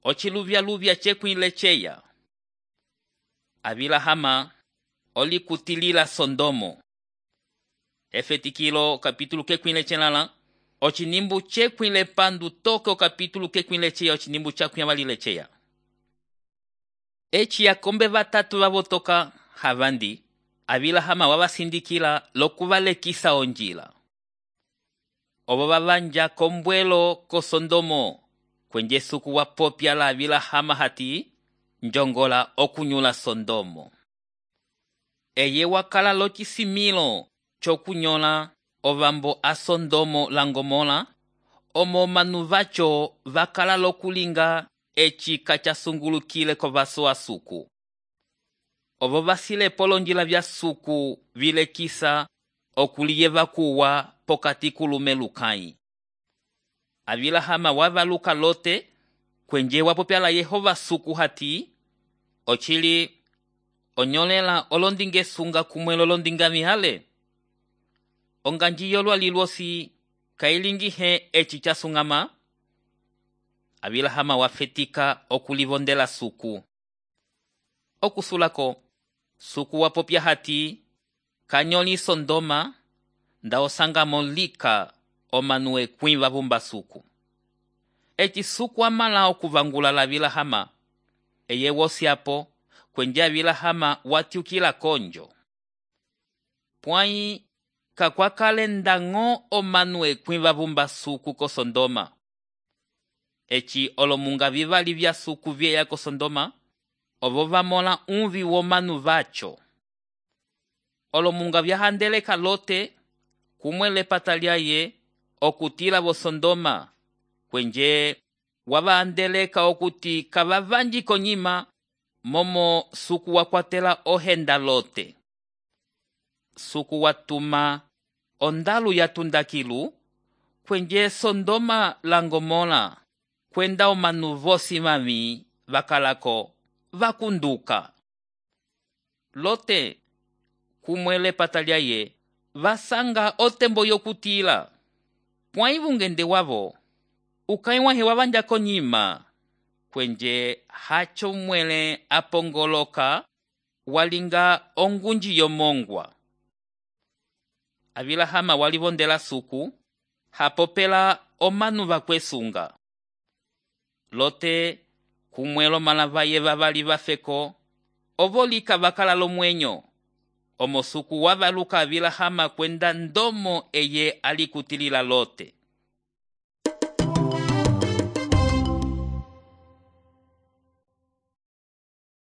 ociluvyaluvya cekwile ceya. Avilahama olikutilila Sodomo. Efetikilo kapítulo kekwile celala. Ocinimbu cekwile pandu toke o kapítulo kekwile ceya ocinimbu cakuyavalile ceya. Eci yakombe vatatu vavotoka havandi. Avilahama wavasindikila lokuvalekisa onjila. Ovo vavanja kombwelo ko Sodomo kwenje suku wapopya la Avilahama hati njongola okunyula Sodomo. Eye wakala locisimilo cokunyola ovambo a Sodomo la Gomora, omo manu vaco vakala lokulinga eci kacasungulukile kovaso a suku. Ovo vasile polonjila vya suku vilekisa okuliyeva kuwa pokati kulume lukai. Avilahama wavaluka Lote kwenje wapopya la Yehova suku hati ochili onyolela olondinge sunga kumwelo olondinga mihale. Onganjiyo lwalilwosi kailingihe eci casungama. Avilahama wafetika okulivondela suku. Okusulako suku wapopya hati kanyoli Sodoma nda osangamo lika omanue kwimva vumba suku. Eci suku amala okuvangula la Avilahama. Eye wosiapo kwenje Avilahama watiukila konjo. Pwai kakwakale ndango omanue kwimva vumba suku ko Sodoma. Eci olomunga vivali vya suku vyeya ko Sodoma. Ovo vamola unvi womanu vaco. Olomunga vyahandeleka Lote kumwele patalyaye okutila vo Sodoma kwenje wavaandeleka okuti kavavanji konyima momo suku wakwatela ohenda Lote. Suku watuma ondalu yatundakilu kwenje Sodoma la Gomora kwenda omanu vosi mami vakalako vakunduka. Lote kumwele patalyaye vasanga otembo yokutila. Pwai vungende wavo ukaiwahe wavanja konyima kwenje hacho mwele apongoloka walinga ongunji yomongwa. Avilahama walivondela suku hapopela omanu vakwesunga. Lote kumwelo malavaye vavali vafeko ovolika vakala lomwenyo. Omo suku wavaluka Avilahama kwenda ndomo eye alikutilila Lote.